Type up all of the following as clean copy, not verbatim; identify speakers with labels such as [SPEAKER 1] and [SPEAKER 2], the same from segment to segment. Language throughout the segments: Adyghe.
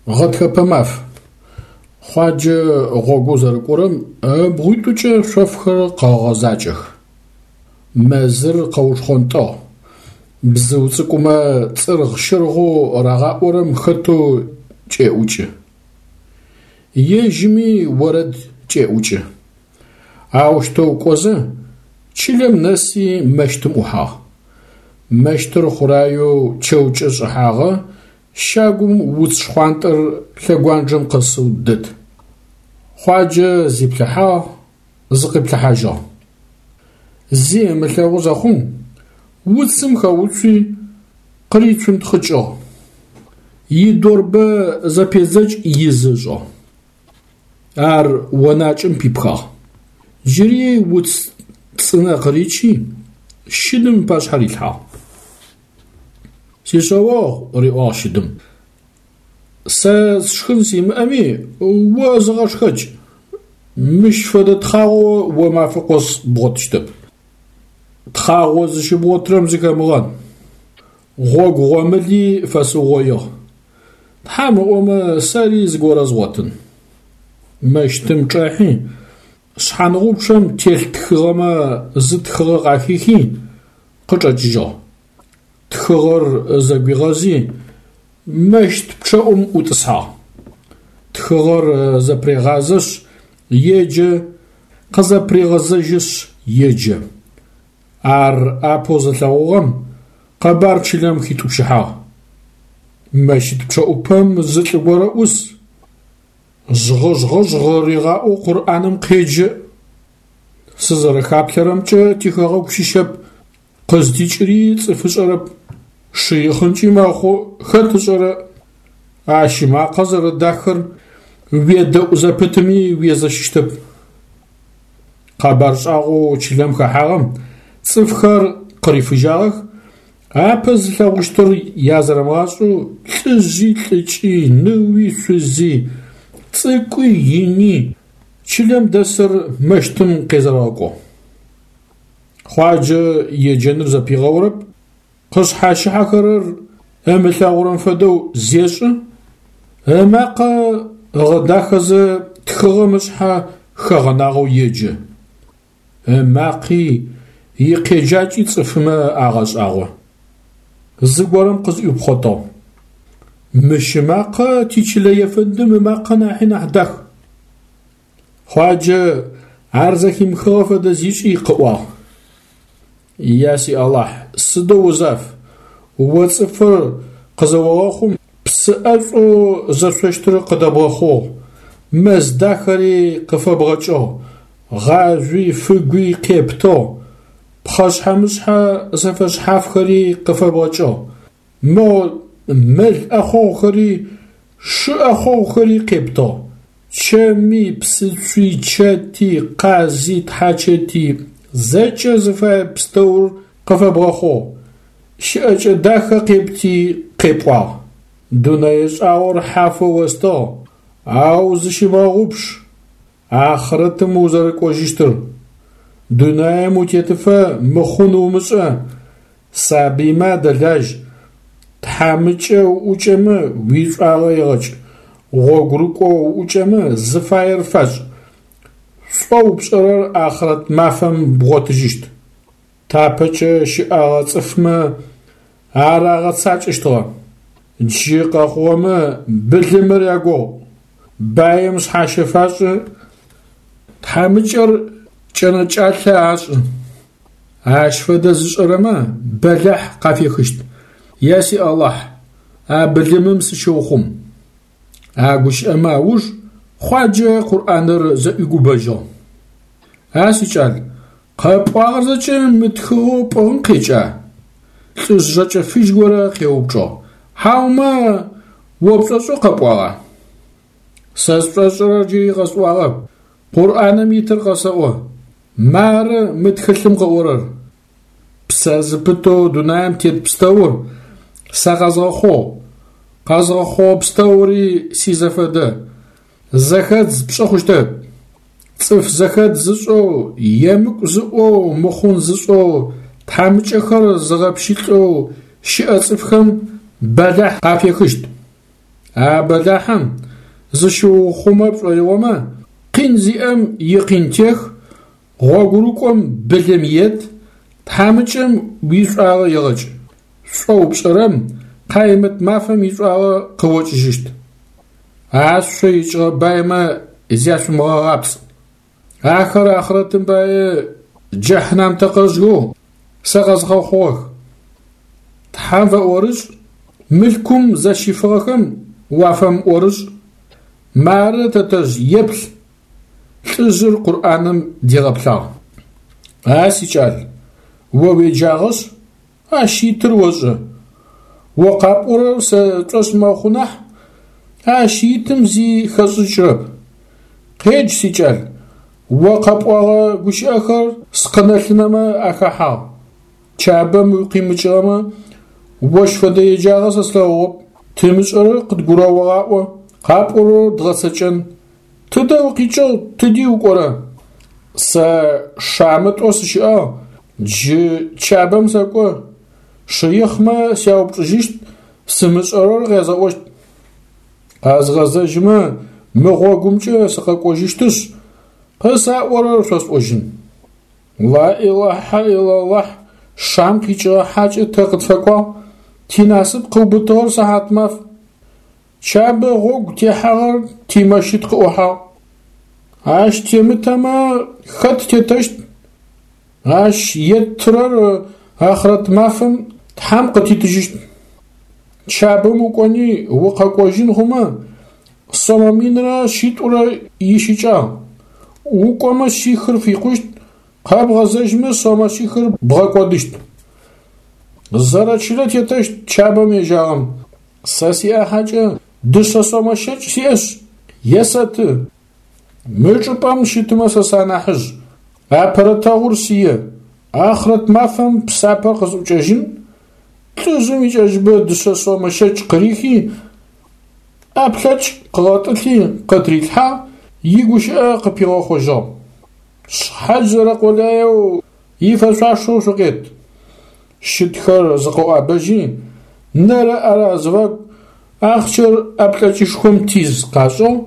[SPEAKER 1] Гъэтхэпэ маф. Хъуаджэ гъогоу зэрыкӏорэм ыбгъуитӏукӏэ шъофхэр къэгъэгъэ закӏэх. Мэзыр къэушхъонтӏыгъ. Бзыу цӏыкӏумэ цӏыргъ-щыргъэу рагъаӏорэм хэтэу кӏеӏукӏы. Ежьыми орэд кӏеӏукӏы. Аущтэу кӏозэ, чылэм нэси мэщтым ӏухьагъ. Мэщтыр хъураеу чэукӏэ шӏыхьагъэ, щагум уц шхъуантӏэр лъэгуанджэм къэсэу дэт. Хъуаджэ зиплъыхьагъ, зыкъиплъыхьажьыгъ. Зи ымылъэгъу зэхъум, уцым хэуцуи, къырицунтхъыкӏыгъ. Идорбэ зэпедзэкӏ изы ышӏыгъ. Ар онакӏэм пипхагъ. Джыри уц цӏынэ къыричи, щыдым ыпашъхьэ рилъхьагъ. Сишъэогъу, риӏуагъ щыдым, сэ сшхын симыӏэми, о зыгъэшхэкӏ. Мыщ фэдэ тхъагъо о мафэ къос бгъотыщтэп. Тхъагъо зыщыбгъотырэм зыхэмыгъэн. Гъогу гъомыли фэсыугъоигъ. Тхьам ыӏомэ, сэри зыгорэ згъотын. Мэщтым чӏэхьи, шъхьангъупчъэм телъ тхыгъэмэ зы тхыгъэ къахихи, къычӏэкӏыжьыгъ. Тхыгъэр зэгуигъэзи, мэщт пчъэӏум ӏутӏысхьагъ. Тхыгъэр зэпрегъазэшъ, еджэ, къызэпрегъэзэжьышъ, еджэ. Ар апэу зылъэгъугъэм къэбар чылэм хитӏупщыхьагъ. Мэщыт пчъэӏупэм зы лӏы горэ ӏус. Жъгъы-жъгъы-жъгъ ригъаӏоу Къурӏаным къеджэ. Сызэрэхаплъэрэмкӏэ тихэгъэгу щыщэп, къыздикӏыри цӏыф ышӏэрэп. Шыихъынкӏи мэхъу, хэт ышӏэрэ? Ащ ымакъэ зэрэдахэр уедэӏу зэпытми уезэщыщтэп. Къэбар шӏагъоу чылэм хэхьагъэм цӏыфхэр къырифыжьагъэх, апэ зылъэгъущтыр язэрэмыгъашӏэу лӏыжъи лӏыкӏи, ныуи шъузи, цӏыкӏуи ини чылэм дэсыр мэщтым къезэрэгъэкӏугъ. Хъуаджэ еджэныр зэпигъэурэп, къышъхьащыхьэхэрэр ымылъэгъурэм фэдэу зешӏы, ымакъэ ыгъэдахэзэ тхыгъэм ышъхьэ хэгъэнагъэу еджэ. Ымакъи икъеджакӏи цӏыфмэ агъэшӏагъо. Зыгорэм къызӏуипхъотыгъ. Мыщ ымакъэ тичылэ ефэндым ымакъэ нахьи нахь дах. Хъуаджэ ар зэхимыхыгъэ фэдэ зишӏи къыӏуагъ. Я си Алахь, сыдэу узаф, о цӏыфыр къызэогъэхъум псы ӏэшӏоу зэшъощтыр къыдэбгъэхъугъ, мэз дахэри къыфэбгъэкӏыгъ, гъажъуи фыгуи къептыгъ, пхъэшъхьэ-мышъхьэ зэфэшъхьафхэри къыфэбгъэкӏыгъ, мо мэл ӏэхъогъухэри шы ӏэхъогъухэри къептыгъ, чэми, псыцуи, чэти, къази, тхьачэти, зэкӏэ зыфае пстэур къыфэбгъэхъугъ, щыӏэкӏэ дахэ къепти къепӏуагъ. Дунэе шӏагъор хьафэу остыгъ, ау зыщымыгъэгъупш, ахърэтым узэрэкӏожьыщтыр. Дунаем утетыфэ мыхъун умышӏэ, сабыймэ адэлажь, тхьамыкӏэ уӏукӏэмэ уишӏуагъэ егъэкӏ, гъогурыкӏо уӏукӏэмэ зыфаер фашӏ, шӏоу пшӏэрэр ахърэт мафэм бгъотыжьыщт. Тапэкӏэ щыӏэгъэ цӏыфмэ ар агъэцакӏэщтыгъэ. Джы къэхъугъэмэ былымыр ягугъу, баим шъхьащэ фашӏы, тхьамыкӏэр кӏэнэкӏалъэ ашӏы. Ащ фэдэ зышӏэрэмэ бэлахь къафехыщт. Я си Алахь, а былымым сыщыухъум. А гущыӏэмэ ауж Хъуаджэ Къурӏаныр зэӏуигубэжьыгъ. А сикӏал, къэпӏуагъэр зэкӏэ мы тхыгъэу пӏыгъым къекӏа? Лӏыжъ жэкӏэ фыжь горэ къеупчӏыгъ. Хьаумэ о пшӏошӏэу къэпӏуагъа? Сэ сшӏошӏырэр джыри къэсӏуагъэп. Къурӏаным итыр къэсэӏо. Мары мы тхылъым къыӏорэр. Псэ зыпытэу дунаим тет пстэур сэ къэзгъэхъугъ, къэзгъэхъугъэ пстэури сизэфэдэ. Зэхэдз пшӏы хъущтэп. Цӏыф зэхэдз зышӏэу, емыкӏу зыӏоу, мыхъун зышӏэу, тхьамыкӏэхэр зыгъэпщылӏэу щыӏэ цӏыфхэм бэлахь къафехыщт. А бэлахьым зыщыуухъумэ пшӏоигъомэ, къин зиӏэм икъин тех, гъогурыкӏом былым ет, тхьамыкӏэм уишӏуагъэ егъэкӏ. Шӏоу пшӏэрэм Къаймэт мафэм ишӏуагъэ къыокӏыжьыщт. Ашъо икӏыгъэ баймэ зяшъумыгъэгъапцӏ. Ахэр ахърэтым пае джэхьнам тэкъэжъхэу сэ къэзгъэхъугъэх. Тхьэм фэӏорышӏ, мылъкум зэщифыгъэхэм уафэмыӏорышӏ. Мары, тэтэжъ, еплъ, лӏыжъыр Къурӏаным дигъэплъагъ. А сикӏал, о уеджагъэшъ, ащ итыр ошӏэ. О къапӏорэр сэ сшӏошъ мэхъу нахь, ащ итым зи хэсшӏыкӏырэп. Къедж, сикӏал, о къэпӏогъэ гущыӏэхэр скъынэ-лъынэмэ ахэхьагъ. Чабэм укъимыкӏыгъэмэ, ощ фэдэ еджагъэ сэ слъэгъугъэп. Тымышӏэрэр къыдгурыогъаӏо, къапӏорэр дгъэцэкӏэн. Тыдэ укъикӏыгъ, тыди укӏора? Сэ Шамэ тӏо сыщыӏагъ, джы Чабэм сэкӏо. Шыихъмэ сяупчӏыжьыщт, сымышӏэрэр къязгъэӏощт. Къэзгъэзэжьымэ, мы гъогумкӏэ сыкъэкӏожьыщтышъ, къысаӏорэр шъосӏожьын. Ла илахьа илаллахь, Шам къикӏыгъэ хьакӏэ тэ къытфэкӏуагъ, тинасып къыубытыгъэр сыхьатмаф. Чабэ гъогу техьагъэр тимэщыт къыӏухьагъ. Ащ темытэмэ, хэт тетэщт? Ащ еттырэр ахърэт мафэм Тхьэм къытитыжьыщт. Чабэм укӏони укъэкӏожьын хъумэ, сомэ минрэ шъитӏурэ ищыкӏагъ. Укӏомэ шъихыр фикъущт, къэбгъэзэжьмэ сомэ шъихыр бгъэкӏодыщт. Зэрэчылэ тетэщт Чабэм ежьагъэм. Сэ сиӏахьэкӏэ дышъэ сомэ щэкӏ сиӏэшъ, есэты. Мы чӏыпӏэм щытымэ сэ санахьыжъ, апэрэ тэгъур сие, ахърэт мафэм псапэ къысӏукӏэжьын, лӏыжъым икӏэжъыбэ дышъэ сомэ щэкӏ къырихи, ӏэплъэкӏ къыгъэтӏылъи къытырилъхьагъ, игущыӏэ къыпигъэхъожьыгъ. Шъхьадж зэрэкъулаеу ифэшъуашэу шъукъет. Щытхэр зыкъыӏуабэжьи, нэрэ ӏэрэ азыфагу ахъщэр ӏэплъэкӏышхом тиз къашӏыгъ,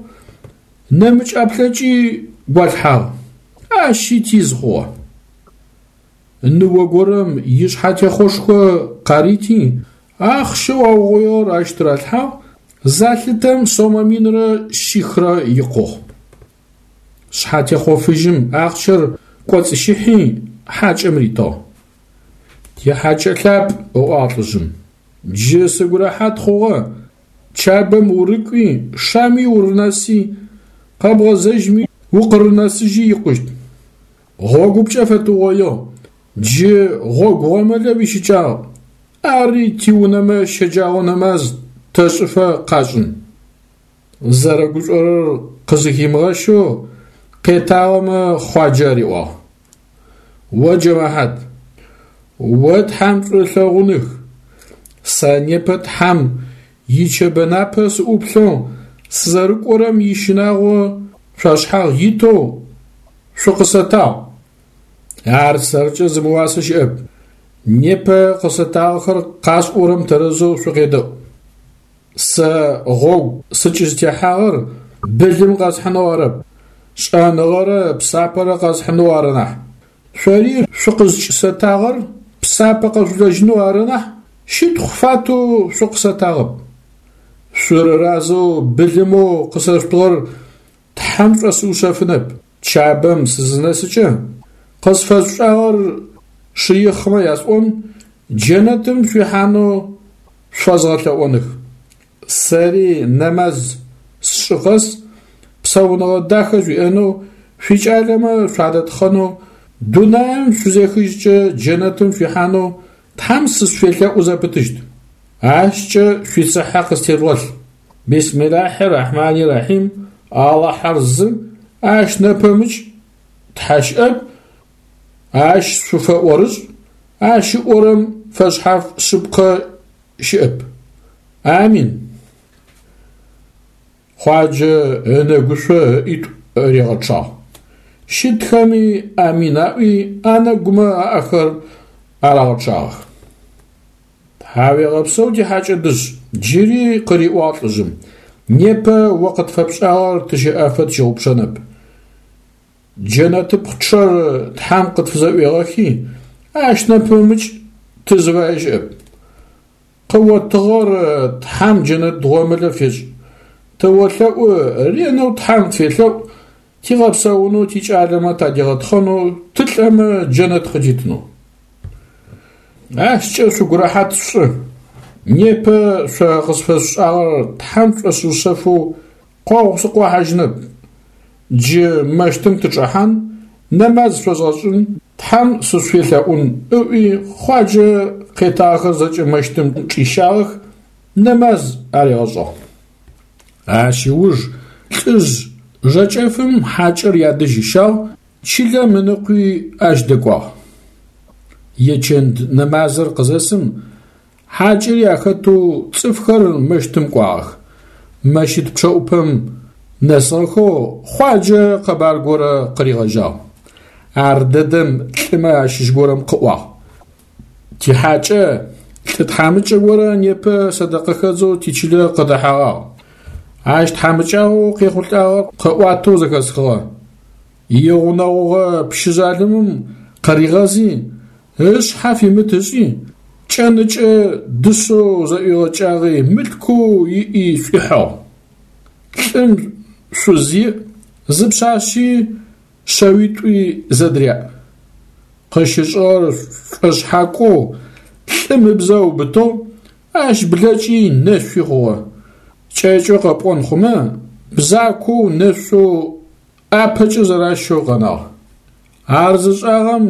[SPEAKER 1] нэмыкӏ ӏэплъэкӏи гуалъхьагъ, ащи тиз хъугъэ. Ныо горэм ишъхьэтехъошхо къарити, ахъщэу аугъоигъэр ащ тыралъхьагъ, залъытэм сомэ минрэ шъихрэ икъугъ. Шъхьэтехъо фыжьым ахъщэр кӏоцӏыщыхьи, хьакӏэм ритыгъ. Тихьакӏэ лъапӏ, ыӏуагъ лӏыжъым. Джы сыгу рэхьат хъугъэ, Чабэм урыкӏуи, Шами урынэси, къэбгъэзэжьми укъырынэсыжьи икъущт. Гъогупкӏэ фэтыугъоигъ, джы гъогу гъомылэ уищыкӏагъ, ари тиунэмэ щэджагъо нэмаз тэшӏыфэ къашӏын. Зэрэгушӏорэр къызыхимыгъэщэу къетагъэмэ Хъуаджэ ариӏуагъ: О джэмэхьат, о Тхьэм шӏу ылъэгъуных, сэ непэ Тхьэм ичэбэ напэ сыӏуплъэу сызэрыкӏорэм ищынагъо шъуашъхьагъ итэу шъукъысэтагъ. Ар сэркӏэ зымыуасэ щыӏэп. Непэ къысэтагъэхэр къасӏорэм тэрэзэу шъукъедэӏу. Сэ гъогу сыкӏызтехьагъэр былым къэсхьынэу арэп, шӏэныгъэрэ псапэрэ къэсхьынэу ары нахь. Шъори шъукъызкӏысэтагъэр псапэ къэшъулэжьынэу ары нахь, щытхъу фатэу шъукъысэтагъэп. Шъурыразэу былымэу къысэшъутыгъэр Тхьэм шӏосыушъэфынэп. Чабэм сызынэсыкӏэ, къысфэшъушӏагъэр шыихъмэ ясӏон, джэнэтым шъуихьанэу шъуфэзгъэлъэӏоных. Сэри нэмаз сшӏы къэс псауныгъэ дахэ шъуиӏэнэу, шъуикӏалэмэ шъуадэтхъэнэу, дунаим шъузехыжькӏэ джэнэтым шъуихьанэу Тхьэм сышъуфелъэӏу зэпытыщт. Ащкӏэ шъуицыхьэ къыстежъугъэлъ. Бисмилахьи рахьмани рахьим, Алахьэр зы, ащ нэпэмыкӏ Тхьэ щыӏэп, ащ шъуфэӏорышӏ, ащ ыӏорэм фэшъхьаф шъыпкъэ щыӏэп. Амин. Хъуаджэ ынэгушъо ыӏитӏу ригъэчъагъ. Щытхэми амин аӏуи анэгумэ аӏэхэр арагъэчъагъэх. Тхьауегъэпсэу, тихьакӏэ дышъ, джыри къыриӏуагъ лӏыжъым. Непэ о къытфэпшӏагъэр тыщэӏэфэ тщыгъупшэнэп. Джэнэтыпчъэр Тхьэм къытфызэӏуегъэхи, ащ нэпэмыкӏ тызыфае щыӏэп. Къыотыгъэр Тхьэм джэнэт гъомылэ фешӏ. Тыолъэӏу, ренэу Тхьэм тфелъэӏу, тигъэпсэунэу, тикӏалэмэ тадигъэтхъэнэу, тылӏэмэ джэнэт къытитынэу. Ащкӏэ шъугу рэхьат шъушӏы. Непэ шъо къысфэшъушӏагъэр Тхьэм шӏосыушъэфэу къогъу сыкъохьажьынэп. Джы мэщтым тычӏэхьан, нэмаз шъозгъэшӏын, Тхьэм сышъуфелъэӏун, ыӏуи Хъуаджэ къетагъэхэр зэкӏэ мэщтым чӏищагъэх, нэмаз аригъэшӏыгъ. Ащ ыуж лӏыжъ жэкӏэфым хьакӏэр ядэжь ыщагъ, чылэм ыныкъуи ащ дэкӏуагъ. Ечэнд нэмазыр къызэсым, хьакӏэри ахэтэу цӏыфхэр мэщтым кӏуагъэх. Мэщыт пчъэӏупэм нэсыгъэхэу Хъуаджэ къэбар горэ къыригъэжьагъ. Ар дэдэм лӏымэ ащыщ горэм къыӏуагъ. Тихьакӏэ лӏы тхьамыкӏэ горэ непэ сэдэкъэхэдзэу тичылэ къыдэхьэгъагъ. Ащ тхьамыкӏагъоу къехъулӏагъэр къыӏуатэу зэхэсхыгъэ. Игъунэгъугъэ пщы жъалымым къыригъэзи, ышъхьэ фимыт ышӏи, кӏэныкӏэ дышъэу зэӏуигъэкӏагъи мылъкоу иӏи шӏуихьыгъ. Лӏым шъуз иӏ, зы пшъашъи шъэуитӏуи зэдыряӏ. Къыщышӏыгъэр шӏошъхьакӏоу лӏым ыбзэ ыубытыгъ, ащ блэкӏи нэшъуи хъугъэ. Кӏэкӏэу къэпӏон хъумэ, бзакоу нэшъоу ӏапэкӏэ зэращэу къэнагъ. Ар зышӏагъэм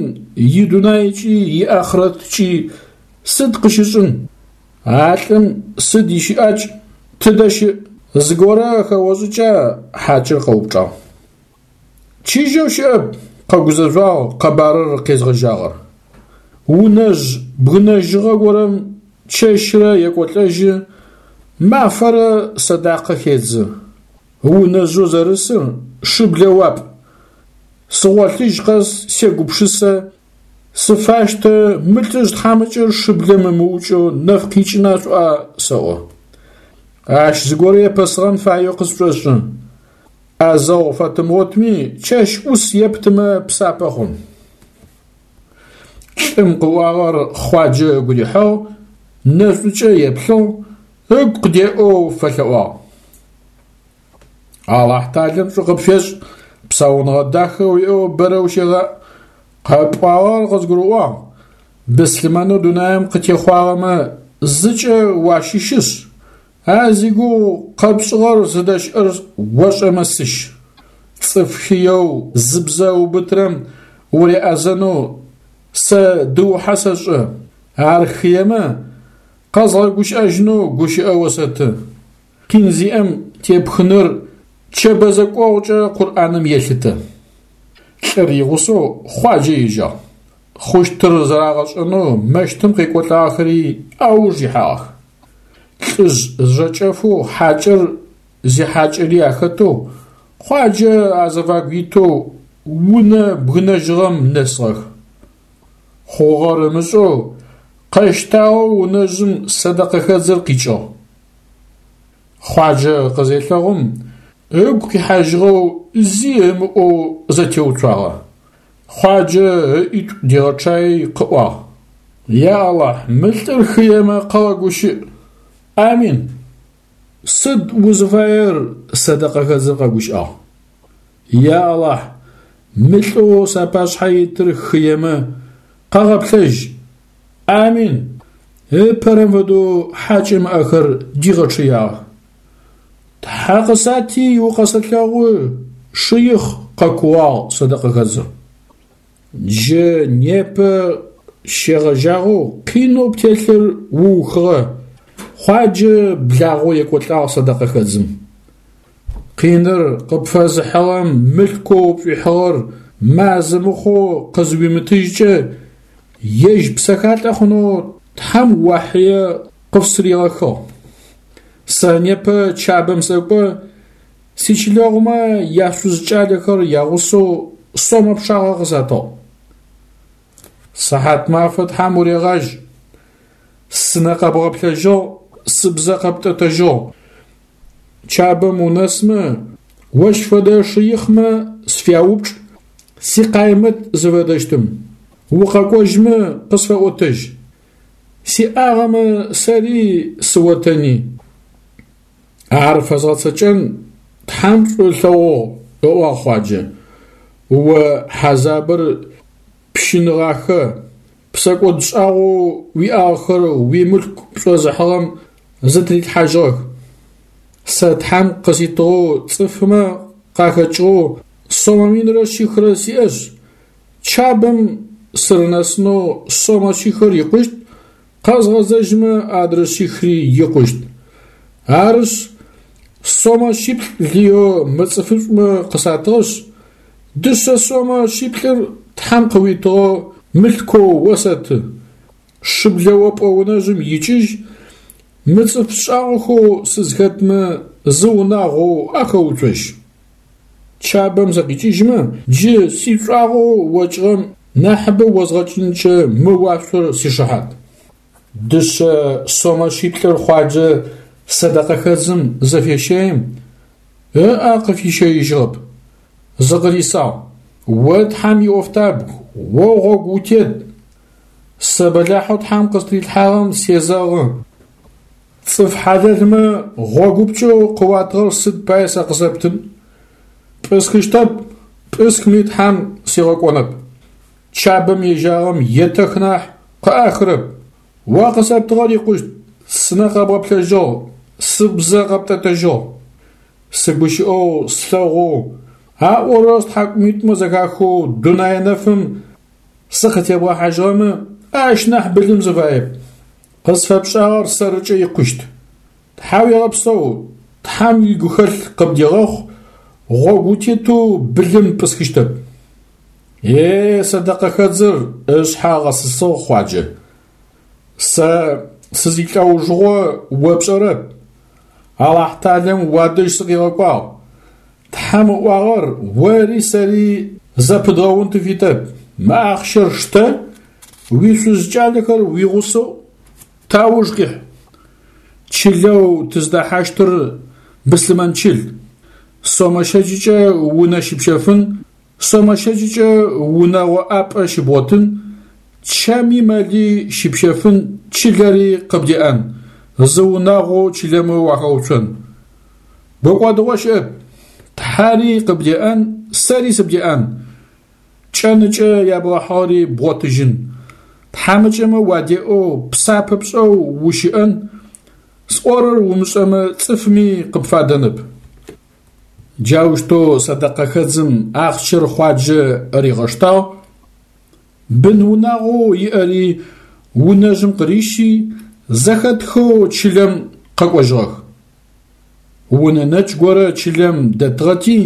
[SPEAKER 1] идунайкӏи иахърэткӏи сыд къыщышӏын? А лӏым сыд ищыӏакӏ, тыдэ щыӏ? Зыгорэ хэошӏыкӏа? Хьакӏэр къэупчӏагъ. Чыжьэу щыӏэп, къэгузэжъуагъ къэбарыр къезгъэжьагъэр. Унэжъ бгынэжьыгъэ горэм чэщрэ екӏолӏэжьы, мафэрэ сэдакъэ хедзы. Унэжъэу зэрысыр шыблэ уапӏ. Сыгъолъыжь къэс сегупшысэ, сыфащтэ мы лӏыжъ тхьамыкӏэр шыблэм ымыукӏэу нэф къикӏына шӏуа сэӏо. Ащ зыгорэ епэсыгъэн фаеу къысшӏошӏы. ӏэзэгъу фэтымыгъотми, чэщ ӏус ептымэ псапэ хъун. Лӏым къыӏуагъэр Хъуаджэ ыгу рихьыгъ, нэшӏукӏэ еплъыгъ, ыгу къыдеӏэу фэлъэӏуагъ. Алахьталэм шӏу къыпфешӏ, псауныгъэ дахэ уиӏэу бэрэ ущегъаӏ. Къэпӏуагъэр къызгурыӏуагъ, быслъымэнэу дунаим къытехъуагъэмэ зыкӏэ уащыщышъ, а зигугъу къэпшӏыгъэр зыдэщыӏэр ошӏэмэ сыщ. Цӏыф хыеу зыбзэ ыубытырэм уреӏэзэнэу сэ дыухьэ сэшӏы, ар хыемэ, къэзгъэгущыӏэжьынэу гущыӏэ осэты. Къин зиӏэм тепхыныр Чэбэ зэкӏогъукӏэ Къурӏаным елъытэ. Лӏыр игъусэу Хъуаджэ ежьагъ. Хъущтыр зэрагъэшӏэнэу мэщтым къекӏолӏагъэхэри ауж ихьагъэх. Лӏыжъ жэкӏэфэу хьакӏэр зихьакӏэри ахэтэу, Хъуаджэ азэвагу итэу унэ бгынэжьыгъэм нэсыгъэх. Хъугъэр ымышӏэу, къэщтагъэу унэжъым сэдэкъэхэдзыр къикӏыгъ. Хъуаджэ къызелъэгъум, ыгу къихьажьыгъэу зи ымыӏоу зэтеуцуагъэ. Хъуаджэ ыӏитӏу дигъэчъаий къыӏуагъ: Я Алахь, мы лӏыр хыемэ къэгъэгущыӏ. Амин. Сыд узыфаер, сэдэкъэхэдзыр къэгущыӏагъ. Я Алахь, мы лӏэу сапашъхьэ итыр хыемэ, къэгъэплъэжь. Амин. Ыпэрэм фэдэу хьакӏэм ыӏэхэр дигъэчъыягъэх. Тхьэ къысати укъэсэлъэгъу, шыихъ, къэкууагъ сэдэкъэхэдзыр. Джы непэ щегъэжьагъэу къинэу птелъыр уухыгъэ, Хъуаджэ благъэу екӏолӏагъ сэдэкъэхэдзым. Къиныр къыпфэзыхьыгъэм мылъкоу пшӏуихьыгъэр мазэ мыхъоу къызыуимытыжькӏэ, ежь псэхалӏэ хъунэу Тхьэм уахьые къыфсыригъэхыгъ. Сэ непэ Чабэм сэкӏо, сичылэгъумэ яшъуз кӏалэхэр ягъусэу сомэ пчъагъэ къысатыгъ. Сыхьатмафэ Тхьэм урегъажь, сынэ къэбгъэплъэжьыгъ, сыбзэ къэптӏэтэжьыгъ. Чабэм унэсмэ, ощ фэдэ шыихъмэ сфяупчӏ сикъаймэт зыфэдэщтым. Укъэкӏожьмэ къысфэӏотэжь. Сиӏагъэмэ сэри сыотэни. Ар фэзгъэцэкӏэн Тхьэм шӏу ылъэгъугъ, ыӏуагъ Хъуаджэ. О хьазабыр пщыныгъахэ, псэкӏодшӏагъэу уиӏагъэхэр уимылъку пшӏозыхьыгъэм зытырилъхьажьыгъэх. Сэ Тхьэм къыситыгъэу цӏыфмэ къахэкӏыгъэу сомэ минрэ шъихрэ сиӏэшъ, Чабэм сырынэсынэу сомэ шъихыр икъущт, къэзгъэзэжьмэ адрэ шъихри икъущт. Арышъ, сомэ шъиплӏ лыеу мы цӏыфышӏумэ къысатыгъэшъ, дышъэ сомэ шъиплӏыр Тхьэм къыуитыгъэу мылъкоу осэты. Шыблэ опӏэ унэжъым икӏыжь, мы цӏыф шӏагъохэу сызхэтмэ зы унагъоу ахэуцожь. Чабэм сыкъикӏыжьмэ, джы сишӏуагъэу окӏыгъэм нахьыбэ озгъэкӏынкӏэ мы уашъор сишыхьат. Дышъэ сомэ шъиплӏыр Хъуаджэ сэдэкъэхэдзым зыфещэим, ыӏэ къыфищэижьыгъэп, зыкъырисагъ: О Тхьэм иӏофтабг, о гъогу утет, сэ бэлахьэу Тхьэм къыстрилъхьагъэм сезэгъы. Цӏыф хьалэлмэ гъогупкӏэу къыуатыгъэр сыд пае сэ къысэптын? Пӏысхыщтэп, пӏысхми Тхьэм сигъэкӏонэп. Чабэм ежьагъэм етэх нахь, къыӏахырэп. О къысэптыгъэр икъущт, сынэ къэбгъэплъэжьыгъ, сыбзэ къэптӏэтэжьыгъ. Сыгущыӏэу, слъэгъоу, аӏорэр стхьакӏумитӏумэ зэхахэу дунэе нэфым сыкъытебгъэхьажьыгъэмэ, ащ нахь былым сыфаеп. Къысфэпшӏагъэр сэрыкӏэ икъущт. Тхьауегъэпсэу, Тхьэм уигухэлъ къыбдегъэхъу, гъогу утетэу былым пӏысхыщтэп. Е, сэдэкъэхэдзыр, ышъхьэ ыгъэсысыгъ Хъуаджэ. Сэ сызилӏэужыгъо о пшӏэрэп. Алахьталэм уадэжь сыкъигъэкӏуагъ. Тхьэм ыӏуагъэр ори сэри зэпыдгъэун тыфитэп. Мы ахъщэр штэ, уишъуз кӏалэхэр уигъусэу тауж къихь. Чылэу тыздэхьащтыр быслъымэн чыл. Сомэ щэкӏыкӏэ унэ щыпщэфын, сомэ щэкӏыкӏэ унэгъо ӏапӏэ щыбгъотын, чэми мэли щыпщэфын, чылэри къыбдеӏэн, зы унагъоу чылэмэ уахэуцон. Гукӏодыгъо щыӏэп, Тхьэри къыбдеӏэн, сэри сыбдеӏэн. Кӏэныкӏэ ябгъэхьыгъэри бгъотыжьын. Тхьамыкӏэмэ уадеӏэу, псапэ пшӏэу ущыӏэн, сӏорэр умышӏэмэ цӏыфми къыпфадэнэп. Джаущтэу сэдэкъэхэдзым ахъщэр Хъуаджэ ригъэштагъ, бын-унагъоу иӏэри унэжъым къырищи, зэхэтхэу чылэм къэкӏожьыгъэх. Унэ нэкӏ горэ чылэм дэтыгъэти,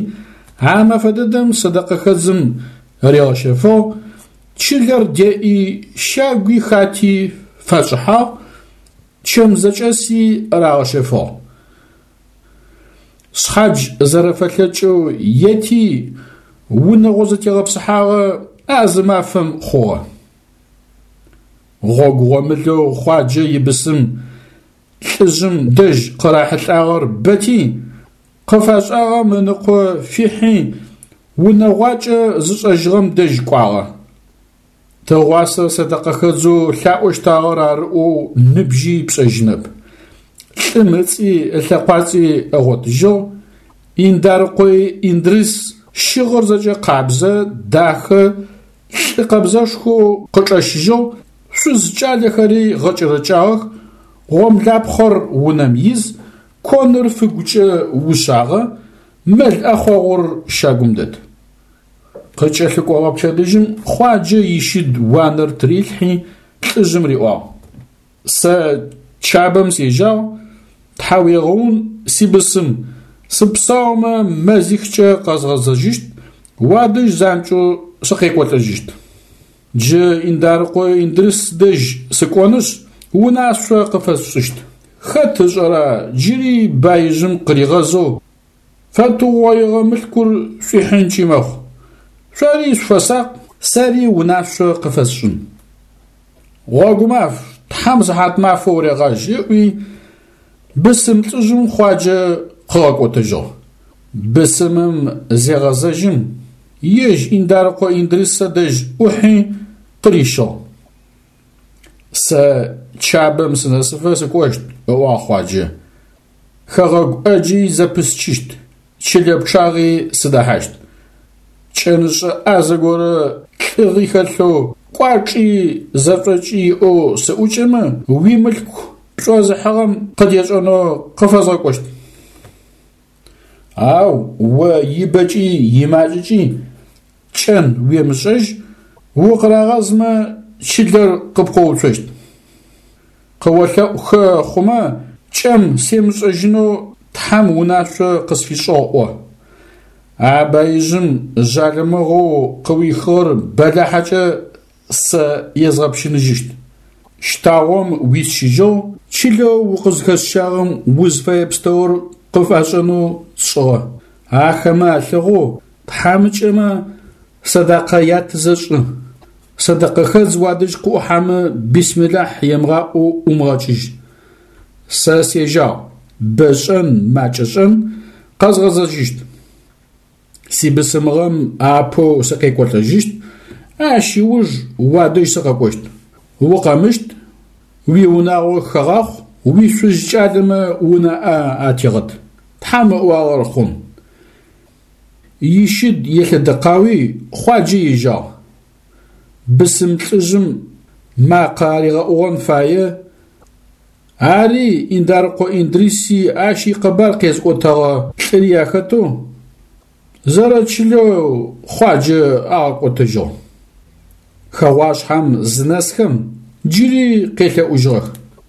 [SPEAKER 1] а мэфэ дэдэм сэдэкъэхэдзым ригъэщэфыгъ, чылэр деӏи, щагуи хати фашӏыхьагъ, чэм зэкӏэси рагъэщэфыгъ. Шъхьадж зэрэфэлъэкӏэу ети, унэгъо зэтегъэпсыхьагъэ а зы мафэм хъугъэ. Гъогу гъомылэу Хъуаджэ ибысым лӏыжъым дэжь къырахьылӏагъэр бэти, къыфашӏагъэм ыныкъо фихьи, унэгъуакӏэ зышӏэжьыгъэм дэжь кӏуагъэ. Тыгъуасэ сэдэкъэхэдзэу лъаӏощтагъэр ары ӏоу ныбжьи пшӏэжьынэп. Лӏым ыцӏи ылъэкъуацӏи ыгъотыжьыгъ, Индарыкъое Индрыс щыгъыр зэкӏэ къабзэ, дахэ, лӏы къэбзэшхоу къычӏэщыжьыгъ, шъуз кӏалэхэри гъэкӏэрэкӏагъэх, гъомлапхъэр унэм из, коныр фыгукӏэ ушъагъэ, мэл ӏэхъогъур щагум дэт. Къыкӏэлъыкӏогъэ пчэдыжьым Хъуаджэ ищыд уанэр тырилъхьи, лӏыжъым риӏуагъ: Сэ Чабэм сежьагъ, тхьауегъэун сибысым, сыпсаумэ мэзихкӏэ къэзгъэзэжьыщт, уадэжь занкӏэу сыкъекӏолӏэжьыщт. Джы Индарыкъо Индрыс дэжь сыкӏонышъ, унашъо къыфэсшӏыщт. Хэт ышӏэра джыри баижъым къыригъэзэу Фэтыугъоигъэ мылъкур шӏуихьынкӏи мэхъу. Шъори шъуфэсакъ, сэри унашъо къыфэсшӏын. Гъогумаф, Тхьэм сыхьат мафэ урегъажь, ыӏуи, бысым лӏыжъым Хъуаджэ къыгъэкӏотэжьыгъ. Бысымым зегъэзэжьым, ежь Индарыкъо Индрысэ дэжь ӏухьи къырищыгъ. Сэ Чабэм сынэсыфэ сыкӏощт, ыӏуагъ Хъуаджэ. Хэгъэгу ӏэджи зэпысчыщт, чылэ пчъагъи сыдэхьащт. Кӏэнышӏэ ӏазэ горэ лӏыгъи хэлъэу, кӏуачӏи зэшӏокӏи иӏэу сыӏукӏэмэ, уимылъку пшӏозыхьыгъэм къыдешӏэнэу къыфэзгъэкӏощт. Ау о ибэкӏи имакӏэкӏи кӏэн уемышӏэжь, укъырагъэзмэ чылэр къыпкъоуцощт. Къыолъэӏухэ хъумэ, кӏэм семышӏэжьынэу Тхьэм унашъо къысфишӏыгъ ӏо. А баижъым жъалымыгъэу къыуихыгъэр бэлахьэкӏэ сэ езгъэпщыныжьыщт. Щтагъом уисщыжьыгъ, чылэу укъызхэсщагъэм узфэе пстэур къыфашӏэнэу сшӏыгъэ. Ахэмэ алъэгъоу тхьамыкӏэмэ сэдакъэ ятызэ шӏы. Сэдэкъэхэдз уадэжь къыӏухьэмэ бисмилахь емыгъаӏоу ӏумыгъэкӏыжь. Сэ сежьагъ, бэ шӏэн, макӏэ шӏэн, къэзгъэзэжьыщт. Сибысымыгъэм апэу сыкъекӏолӏэжьыщт, ащ ыуж уадэжь сыкъэкӏощт. Укъэмыщт, уиунагъо хэгъахъу, уишъуз кӏалэмэ унаӏэ атегъэт. Тхьэм ыӏуагъэр хъун. Ищыд елъэдэкъауи Хъуаджэ ежьагъ. Бысым лӏыжъым макъэ аригъэӏугъэн фае, ари Индарыкъо Индриси ащ икъэбар къезыӏотэгъэ лӏыри ахэтэу, зэрэчылэу Хъуаджэ агъэкӏотэжьыгъ. Хэгъуашъхьэм зынэсхэм джыри къелъэӏужьыгъэх.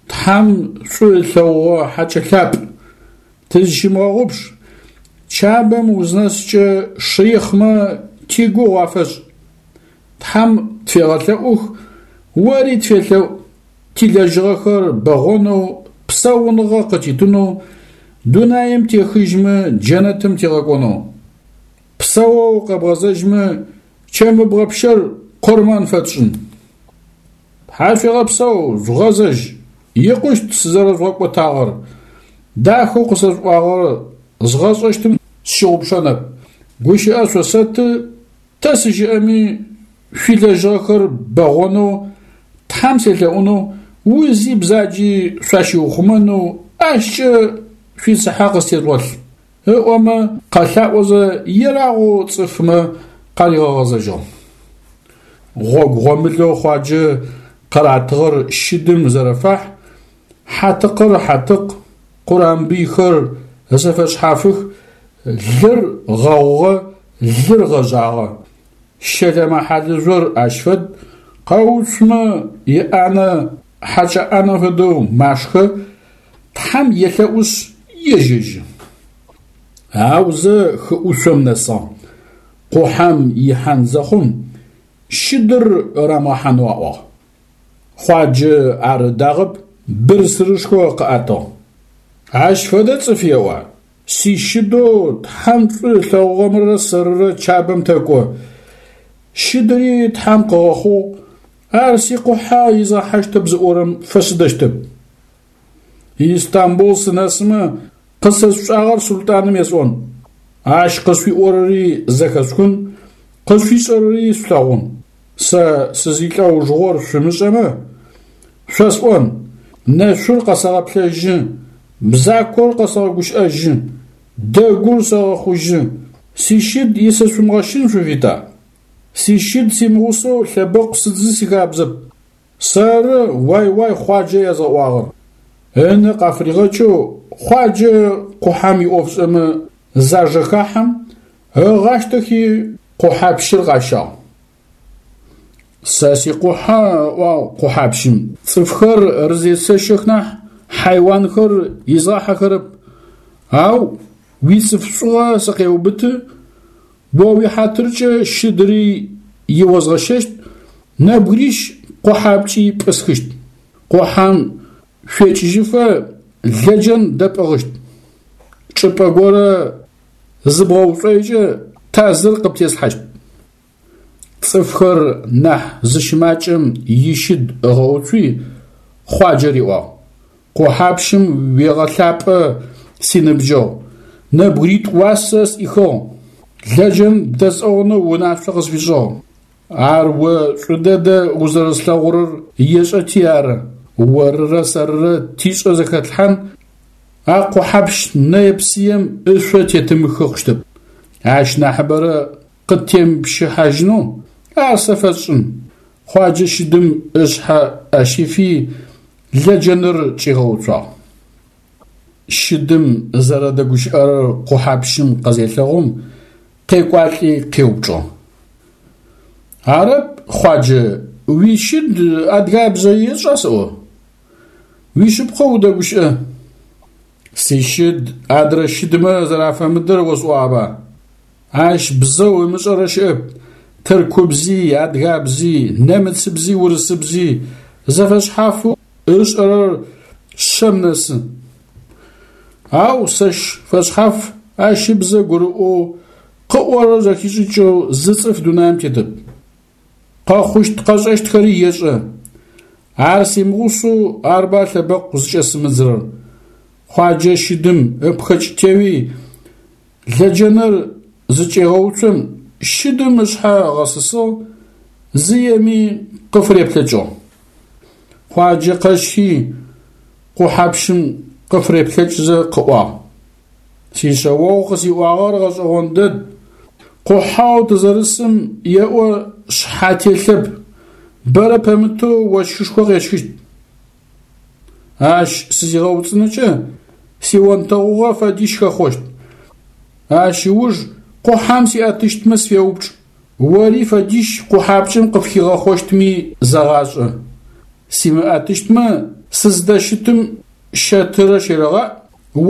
[SPEAKER 1] Тхьэм шӏу ылъэгъугъэ хьакӏэ лъапӏ, тызщымыгъэгъупш, Чабэм узнэскӏэ шыихъмэ тигугъу афэшӏ. Тхьэм тфегъэлъэӏух, ори тфелъэӏу, тилэжьыгъэхэр бэгъонэу, псауныгъэ къытитынэу, дунаим техыжьмэ джэнэтым тигъэкӏонэу. Псэоу къэбгъэзэжьмэ, чэмыбгъэ пщэр къурмэн фэтшӏын. Тхьашъуегъэпсэу, жъугъэзэжь, икъущт сызэрэжъугъэкӏотагъэр, дахэу къысэшъуӏуагъэр згъэшӏэщтым сщыгъупшэнэп. Гущыӏэ шъосэты, тэ сыщыӏэми шъуилэжьыгъэхэр бэгъонэу, Тхьэм селъэӏунэу, узи бзаджи шъуащиухъумэнэу ащкӏэ шъуицыхьэ къыстежъугъэлъ, ыӏомэ къэлъаӏозэ ерагъэу цӏыфмэ къаригъэгъэзэжьыгъ. Гъогу гъомылэу Хъуаджэ къыратыгъэр щыдым зэрэфахь, хьатыкъыр хьатыкъ, къурамбыйхэр зэфэшъхьафых, лыр гъэгъугъэ, лыр гъэжъагъэ. Щэлэмэ хьалыжъор ащ фэд, къэуцумэ иӏанэ хьакӏэ ӏанэм фэдэу машхэ, Тхьэм елъэӏушъ ежьэжьы. Аузэ хыӏушъом нэсыгъ. Къухьэм ихьан зэхъум, щыдыр рамыгъэхьанэу аӏуагъ. Хъуаджэ ар ыдагъэп, бырсырышхо къыӏэтыгъ. Ащ фэдэ цӏыф еӏуа? Сищыдэу Тхьэм шӏу ылъэгъугъэмрэ сэрырэ Чабэм тэкӏо. Щыдыри Тхьэм къыгъэхъугъ, ар сикъухьэ изгъэхьащтэп зыӏорэм фэсыдэщтэп. Истамбул сынэсымэ, къысэшъушӏагъэр султӏаным есӏон. Ащ къысфиӏорэри зэхэсхын, къысфишӏэрэри шъулъэгъун. Сэ сызилӏэужыгъор шъумышӏэмэ, шъосӏон, нэшъур къэсэгъэплъэжьы, бзакор къэсэгъэгущыӏэжьы, дэгур сэгъэхъужьы, сищыд исэшъумыгъэщын шъуфита? Сищыд симыгъусэу лъэбэкъу сыдзы сихабзэп. Сэры уай-уай Хъуаджэ язгъэӏуагъэр. Ынэ къафыригъэкӏэу Хъуаджэ къухьэм иӏофшӏэмэ зажэхахьэм, ыгъащтэхи къухьапщыр къащагъ. Сэ сикъухьэ, ыӏуагъ къухьапщым, цӏыфхэр рызесэщэх нахь, хьайуанхэр изгъахьэхэрэп. Ау уицӏыф шӏугъэ сыкъеубыты, о уихьатыркӏэ щыдыри иозгъэщэщт, нэбгырищ къухьапкӏи пӏысхыщт. Къухьэм шъуекӏыжьыфэ лэджэн дэпӏыгъыщт. Чӏыпӏэ горэ зыбгъэушӏойкӏэ тазыр къыптеслъхьащт. Цӏыфхэр нахь зыщымакӏэм ищыд ыгъэуцуи, Хъуаджэ риӏуагъ: Къухьапщым уегъэлъапӏэ, синыбджэгъу. Нэбгыритӏу уасэ сӏихыгъ, лэджэн бдэсӏыгъынэу унашъо къысфишӏыгъ. Ар о шӏу дэдэ узэрэслъэгъурэр ешӏэти ары. Орырэ сэрырэ тишӏэ зэхэтлъхьан, а къухьэпщ нэе-псыем ышъо тетымыхы хъущтэп. Ащ нахьыбэрэ къыттемыпщыхьажьынэу ар сэ фэсшӏын. Хъуаджэ щыдым ышъхьэ ӏэ щифи, лэджэныр чӏигъэуцуагъ. Щыдым зэрэдэгущыӏэрэр къухьэпщым къызелъэгъум, къекӏуалӏи къеупчӏыгъ. Арэп, Хъуаджэ, уищыд адыгабзэ ешӏа сэӏо? Уишъыпкъэу удэгущыӏэ. Сищыд адрэ щыдмэ зэрафэмыдэр осӏуагъэба? Ащ бзэу ымышӏэрэ щыӏэп, тыркубзи, адыгабзи, нэмыцыбзи, урысыбзи, зэфэшъхьафэу ышӏэрэр шъэм нэсы. Ау сэщ фэшъхьаф ащ ыбзэ гурыӏоу, къыӏорэр зэхишӏыкӏэу зы цӏыф дунаим тетэп. Къэхъущт-къэшӏэщтхэри ешӏэ. Ар симыгъусэу арба лъэбэкъу зыкӏэсымыдзырэр. Хъуаджэ щыдым ыпхэкӏ теуи, лэджэныр зычӏегъэуцом, щыдым ышъхьэ ыгъэсысыгъ, зыеми къыфыреплъэкӏыгъ. Хъуаджэ къэщхи, къухьэпщым къыфыреплъэкӏзэ къыӏуагъ. Сишъэогъу къысиӏуагъэр гъэшӏэгъон дэд. Къухьэу тызэрысым еӏо шъхьэ телъэп, бэрэ пэмытэу ощхышхо къещхыщт. Ащ сызигъэуцӏыныкӏэ сионтэгъугъэ фэдищ хэхъощт. Ащ ыуж къухьэм сиӏэтыщтмэ сфеупчӏ, ори фэдищ къухьапкӏэм къыпхигъэхъощтми зэгъашӏэ. Симыӏэтыщтмэ, сыздэщытым щэтырэ щерэгъаӏ,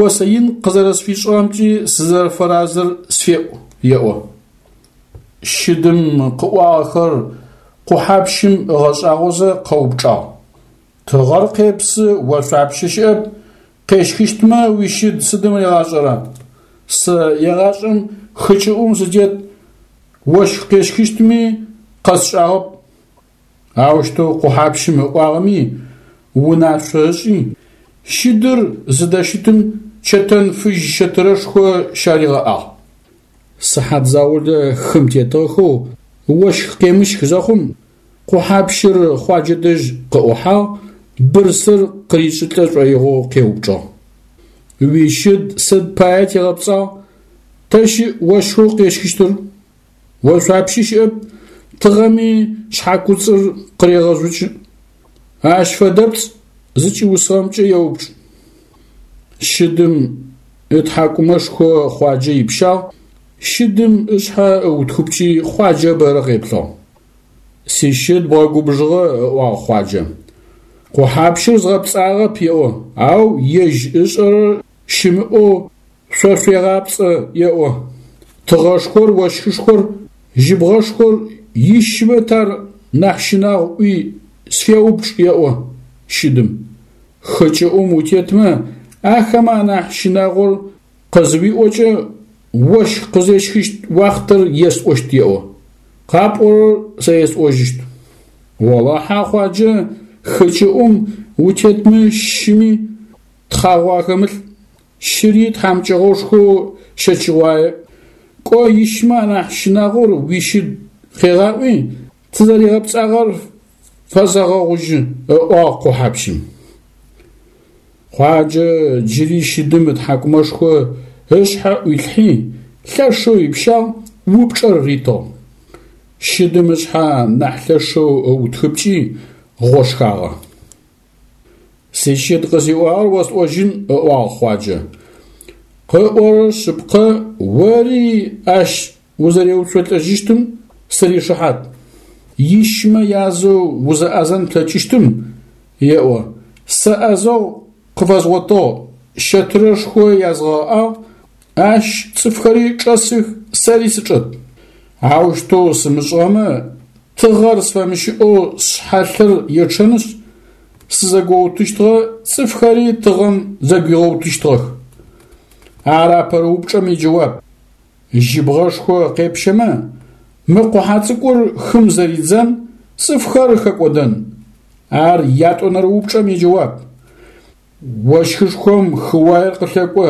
[SPEAKER 1] осэ ин къызэрэсфишӏыгъэмкӏи сызэрэфэразэр сфеӏу, еӏо. Щыдым къыӏуагъэхэр къухьэпщым ыгъэшӏагъозэ къэупчӏагъ. Тыгъэр къепсы, ошъуапщэ щыӏэп, къещхыщтмэ уищыд сыдым ригъашӏэра? Сэ егъашӏэм хы кӏыӏум сытет, ощх къещхыщтми къэсшӏагъэп. Аущтэу къухьэпщым ыӏуагъэми, унашъо ышӏи, щыдыр зыдэщытым чэтэн фыжь щэтырэшхо щаригъэӏагъ. Сыхьат заулэ хым тетыгъэхэу ощх къемыщх зэхъум, къухьэпщыр Хъуаджэ дэжь къыӏухьагъ, бырсыр къыришӏылӏэ шӏоигъоу къеупчӏыгъ. Уищыд сыд пае тигъэпцӏагъ, тэ щыӏ ощхэу къещхыщтыр? Ошъуапщи щыӏэп, тыгъэми шъхьакуцӏыр къырегъэжъукӏы. Ащ фэдэпцӏ зыкӏиусыгъэмкӏэ еупчӏ. Щыдым ытхьакӏумэшхо Хъуаджэ ипщагъ, щыдым ышъхьэ ыутхыпкӏи Хъуаджэ бэрэ къеплъыгъ. Сищыд бгъэгубжыгъэ, ыӏуагъ Хъуаджэ. Къухьапщыр згъэпцӏагъэп еӏо, ау ежь ышӏэрэр щымыӏэу шъо шъуегъапцӏэ, еӏо. Тыгъэшхор, ощхышхор, жьыбгъэшхор ищмэ тар нахь щынагъу ӏуи сфеупчӏ, еӏо щыдым. Хы кӏыӏум утетмэ, ахэмэ анахь щынагъор къызыуиӏокӏэ, ощх къызещхыщт уахътэр есӏощт, еӏо. Къапӏорэр сэ есӏожьыщт. Олахьэ, Хъуаджэ, хы кӏыӏум утетмэ щыми тхъагъо ахэмылъ. Щыри тхьамыкӏэгъошхоу щэчыгъуае. Кӏо ищмэ анахь щынагъор уищыд къегъаӏуи, тызэригъэпцӏагъэр фэсэгъэгъужьы, ыӏуагъ къухьэпщым. Хъуаджэ джыри щыдым ытхьакӏумэшхо ышъхьэ ӏуилъхьи, лъэшэу ипщагъ, упчӏэр ритыгъ. Щыдым ышъхьэ нахь лъэшэу ыутхыпкӏи, гъошхагъэ. Сищыд къысиӏуагъэр осӏожьын, ыӏуагъ Хъуаджэ. Къыӏорэр шъыпкъэ, ори ащ узэреуцолӏэжьыщтым сыришыхьат. Ищмэ язэу узэӏэзэн плъэкӏыщтым, еӏо, сэ ӏэзэгъу къыфэзгъотыгъ, щэтырэшхо язгъэӏагъ, ащ цӏыфхэри чӏэсых, сэри сычӏэт. Аущтэу сымышӏыгъэмэ, тыгъэр сфэмыщыӏэу сшъхьэ лъыр ечъэнышъ, сызэгоутыщтыгъэ, цӏыфхэри тыгъэм зэгуигъэутыщтыгъэх. Ар апэрэ упчӏэм иджэуап. Жьыбгъэшхо къепщэмэ, мы къухьэ цӏыкӏур хым зэридзэн, цӏыфхэр хэкӏодэн. Ар ятӏонэрэ упчӏэм иджэуап. Ощхышхом хыуаер къылъэкӏо.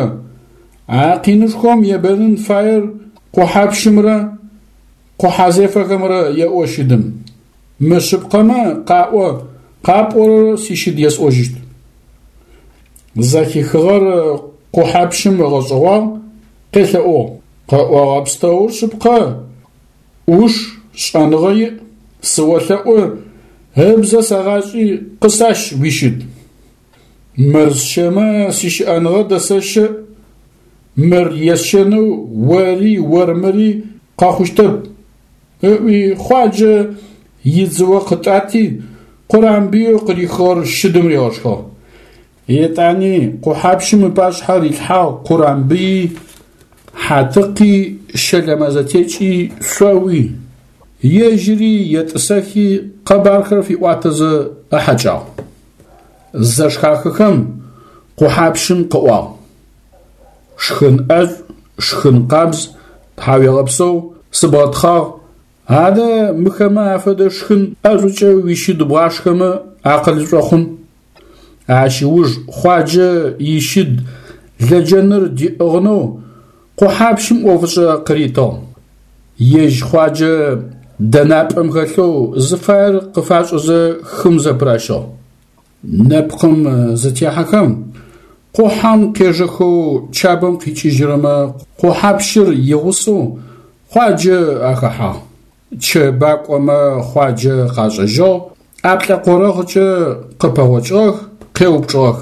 [SPEAKER 1] А къинышхом ебэнын фаер къухьэпщымрэ къухьэзефэхэмрэ, еӏо щыдым. Мышъыпкъэмэ, къаӏо, къапӏорэр сищыд есӏожьыщт. Зэхихыгъэр къухьэпщым ыгъэшӏэгъуагъ, къелъэӏугъ. Къыӏогъэ пстэур шъыпкъэ, ӏуш, шӏэныгъэ иӏ, сыолъэӏу, ыбзэ сэгъашӏи, къысащ уищыд. Мыр сщэмэ сищыӏэныгъэ дэсэщэ, мыр есщэнэу ори ормыри къэхъущтэп, ыӏуи Хъуаджэ идзыо къытӏати, къурамбыеу къырихыгъэр щыдым ригъэшхыгъ. Етӏани къухьэпщым ыпашъхьэ рилъхьагъ къурамбыи, хьатыкъи, щэлэмэ зэтекӏи, шъоуи. Ежьыри етӏысэхи къэбархэр фиӏуатэзэ ыхьэкӏагъ. Зэшхахэхэм къухьэпщым къыӏуагъ: Шхын ӏэшӏу, шхын къабз, тхьауегъэпсэу, сыбгъэтхъагъ, адэ мыхэмэ афэдэ шхын ӏэшӏукӏэ уищыд бгъашхэмэ акъылышӏо хъун. Ащ ыуж Хъуаджэ ищыд лэджэныр диӏыгъынэу къухьэпщым ӏофышӏэ къыритыгъ. Ежь Хъуаджэ дэнапӏэм хэлъэу зыфаер къыфашӏэзэ хым зэпыращыгъ. Нэпкъым зытехьэхэм, къухьэм къежэхэу Чабэм къикӏыжьырэмэ къухьэпщыр игъусэу Хъуаджэ ахэхьагъ. Чэбакӏомэ Хъуаджэ къашӏэжьыгъ, ӏаплӏэкъорэгъкӏэ къыпэгъокӏыгъэх, къеупчӏыгъэх.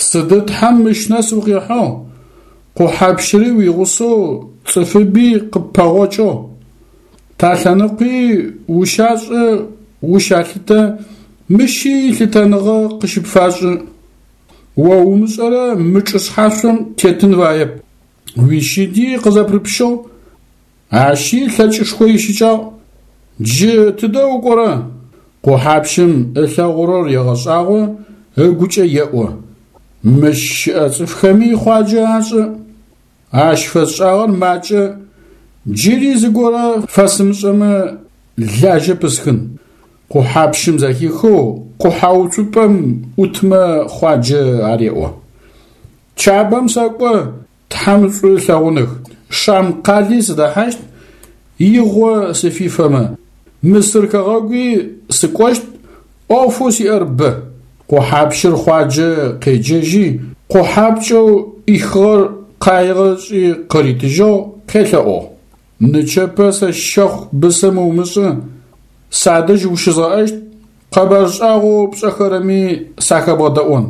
[SPEAKER 1] Сыды Тхьэм мыщ нэс укъихьыгъ? Къухьэпщыри уигъусэу цӏыфыби къыппэгъокӏыгъ. Талъэныкъуи ущашӏэ, ущалъытэ, мыщи лъытэныгъэ къыщыпфашӏы. О умышӏэрэ мы чӏы шъхьашъом тетын фаеп. Уищыди къызэпрыпщыгъ, ащи лъэкӏышхо ищыкӏагъ. Джы тыдэ укӏорэ? Къухьэпщым ылъэгъурэр егъэшӏагъо, ыгукӏэ еӏо. Мыщ щыӏэ цӏыфхэми Хъуаджэ ашӏэ. Ащ фэсшӏагъэр макӏэ, джыри зыгорэ фэсымышӏэмэ лажьэ пысхын. Къухьэпщым зэхихэу къухьэуцупӏэм ӏутмэ Хъуаджэ ареӏо. Чабэм сэкӏо, Тхьэм шӏу ылъэгъуных. Шам къали сыдэхьащт, игъо сыфифэмэ, Мысыр хэгъэгуи сыкӏощт, ӏофэу сиӏэр бэ. Къухьэпщыр Хъуаджэ къеджэжьи, къухьапкӏэу ӏихыгъэр къаигъэ ышӏи къыритыжьыгъ, къелъэӏугъ. Нычэпэ сэ щэхъу бысым умышӏы, садэжь ущызгъэӏэщт, къэбар шӏагъоу пшӏэхэрэми сахэбгъэдэӏон.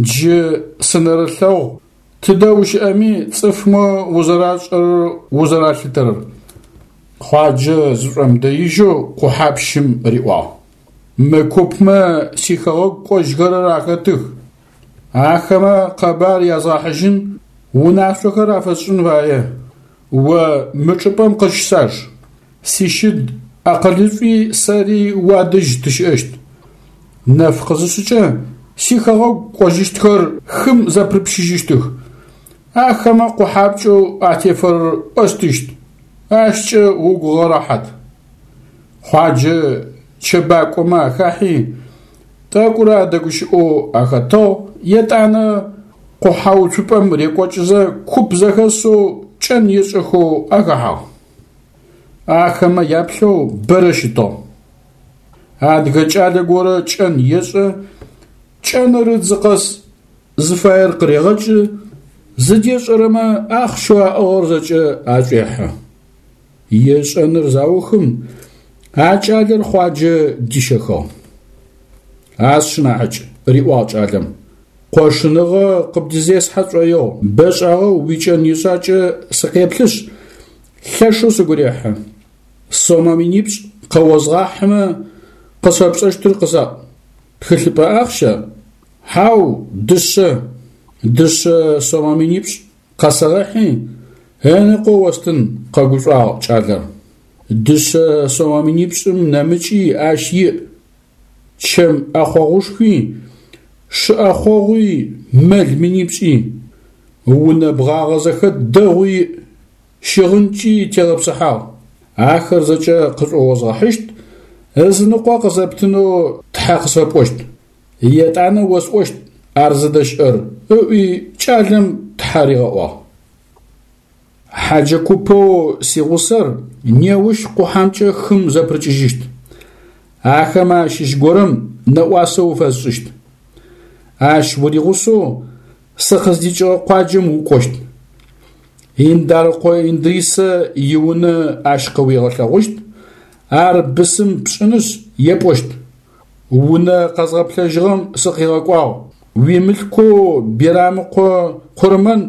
[SPEAKER 1] Джы сынэрылъэгъу Тыдэ ущыӏэми цӏыфмэ узэрашӏэрэр узэралъытэрэр. Хъуаджэ зышӏомыдэижьэу къухьэпщым риӏуагъ. Мы купмэ сихэгъэгу кӏожьхэрэр ахэтых. Ахэмэ къэбар язгъэхьыжьын, унашъохэр афэсшӏын фае. О мы чӏыпӏэм къыщысаж. Сищыд акъылышӏуи сэри уадэжь тыщыӏэщт. Нэф къызышъыкӏэ сихэгъэгу кӏожьыщтхэр хым зэпрыпщыжьыщтых. Ахэмэ къухьапкӏэу атефэрэр остыщт, ащкӏэ угу гъэрэхьат. Хъуаджэ чэбакӏомэ ахахьи, тӏэкӏурэ адэгущыӏэу ахэтыгъ, етӏанэ къухьэуцупӏэм рекӏокӏызэ куп зэхэсэу кӏэн ешӏэхэу ахэхьагъ. Ахэмэ яплъэу бэрэ щытыгъ. Адыгэ кӏалэ горэ кӏэн ешӏэ, кӏэныр ыдзы къэс зыфаер къырегъэкӏы, зыдешӏэрэмэ ахъщэу аӏыгъыр зэкӏэ ашӏуехьы. Ешӏэныр заухым, а кӏалэр Хъуаджэ дищэхыгъ. А сшынахьыкӏ, риӏуагъ кӏалэм, къошыныгъэ къыбдызесхьэ сшӏоигъу, бэшӏагъэу уикӏэн ешӏакӏэ сыкъеплъышъ, лъэшэу сыгу рехьы. Сомэ минипшӏ къэозгъахьымэ, къысфэпшӏэщтыр къысаӏу. Тхылъыпӏэ ахъща? Хьау, дышъэ. Дышъэ сомэ минипшӏ къэсэгъэхьи, ыныкъо остын, къэгушӏуагъ кӏалэр. Дышъэ сомэ минипшӏым нэмыкӏи ащ иӏ. Чэм ӏэхъогъушхуи, шы ӏэхъогъуи, мэл минипшӏи. Унэ бгъагъэ зэхэт дэгъуи иӏ. Щыгъынкӏи тегъэпсыхьагъ. Ахэр зэкӏэ къышӏуозгъэхьыщт, ызыныкъо къызэптынэу тхьэ къысфэпӏощт. Етӏанэ осӏощт ар зыдэщыӏэр, ыӏуи кӏалэм тхьэ. тхьэ ригъэӏуагъ. Хьаджэ купэу сигъусэр неущ къухьэмкӏэ хым зэпырыкӏыжьыщт. Ахэмэ ащыщ горэм нэӏуасэ уфэсшӏыщт. Ащ уригъусэу сыкъыздикӏыгъэ къуаджэм укӏощт. Индарыкъо Индрисэ иунэ ащ къыуигъэлъэгъущт, ар бысым пшӏынышъ епӏощт: Унэ къэзгъэплъэжьыгъэм сыкъигъэкӏуагъ, уимылъкоу Бирамыкъо Къурмэн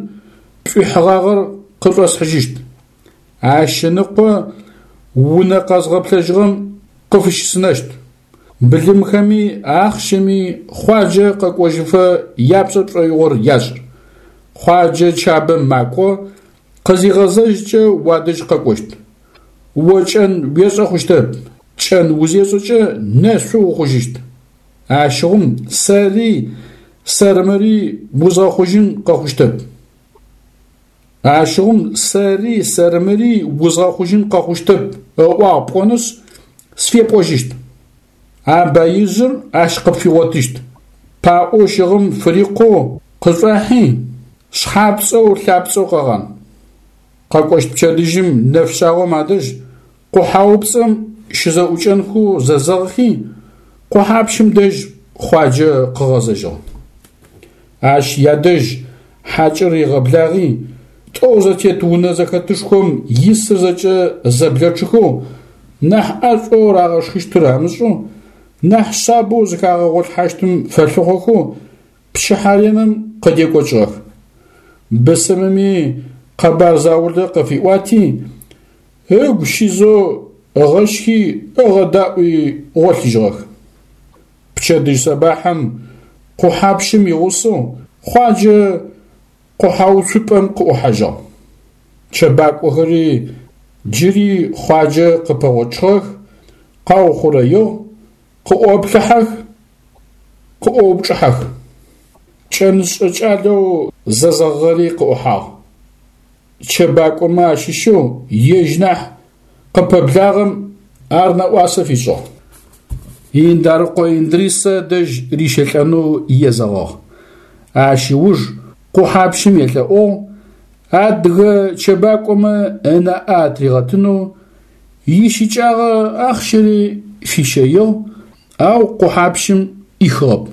[SPEAKER 1] пшӏуихьыгъагъэр къышӏосхьыжьыщт. Ащ ыныкъо унэ къэзгъэплъэжьыгъэм къыфыщысынэщт. Былымхэми ахъщэми Хъуаджэ къэкӏожьыфэ япшӏэ пшӏоигъор яшӏ. Хъуаджэ Чабэм макӏо, къызигъэзэжькӏэ уадэжь къэкӏощт. О кӏэн уешӏэ хъущтэп, кӏэн узешӏэкӏэ нэшъу ухъужьыщт. Ащыгъум сэри сэрмыри узгъэхъужьын къэхъущтэп. Ащыгъум сэри сэрмыри узгъэхъужьын къэхъущтэп ыӏуагъ пӏонышъ, сфепӏожьыщт. А баижъыр ащ къыпфигъотыщт. Паӏоу щыгъым фырикъоу къышӏуахьи, шъхьапцӏэу лъапцӏэу къэгъан. Къэкӏощт пчэдыжьым нэфшъагъом адэжь къухьаупцӏэм щызэӏукӏэнхэу зэзэгъхи, къухьапщым дэжь Хъуаджэ къыгъэзэжьыгъ. Ащ ядэжь хьакӏэр ригъэблагъи, тӏоу зэтет унэ зэхэтышхом исыр зэкӏэ зэблэчъыхэу, нахь ӏэшӏоу рагъэшхыщтыр амышӏэу, нахь шъабэу зыхагъэгъолъхьащтым фэлъыхъохэу пчыхьэ реным къыдекӏокӏыгъэх. Бысымыми къэбар заулэ къыфиӏуати, ыгу щизэу ыгъэщхи ыгъэдаӏуи гъолъыжьыгъэх. Пчэдыжь сэбахьым къухьапщым игъусэу Хъуаджэ къухьэуцупӏэм къыӏухьажьыгъ. Чэбакӏохэри джыри Хъуаджэ къыпэгъочъыгъэх, къаухъурэигъ, къыӏоплъыхьэх, къыӏоупчӏыхьэх. Кӏэнышӏэ кӏалэу зэзэгъыгъэри къыӏухьагъ. Чэбакӏомэ ащыщэу ежь нахь къыпэблагъэм ар нэӏуасэ фишӏыгъ. Индарыкъо Индрисэ дэжь рищэлӏэнэу езэгъыгъ. Ащ ыуж къухьапщым елъэӏугъ адыгэ чэбакӏомэ ынаӏэ атыригъэтынэу, ищыкӏагъэ ахъщэри фищэигъ, ау къухьапщым ӏихыгъэп.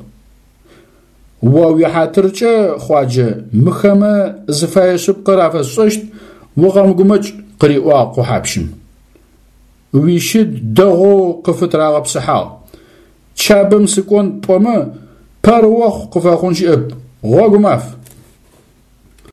[SPEAKER 1] О уихьатыркӏэ, Хъуаджэ, мыхэмэ зыфэе шъыпкъэр афэсшӏэщт, укъэмыгумэкӏ, къыриӏуагъ къухьапщым. Уищыд дэгъоу къыфытырагъэпсыхьагъ. Чабэм сыкӏон пӏомэ, пэрыохъу къыфэхъун щыӏэп, гъогу маф!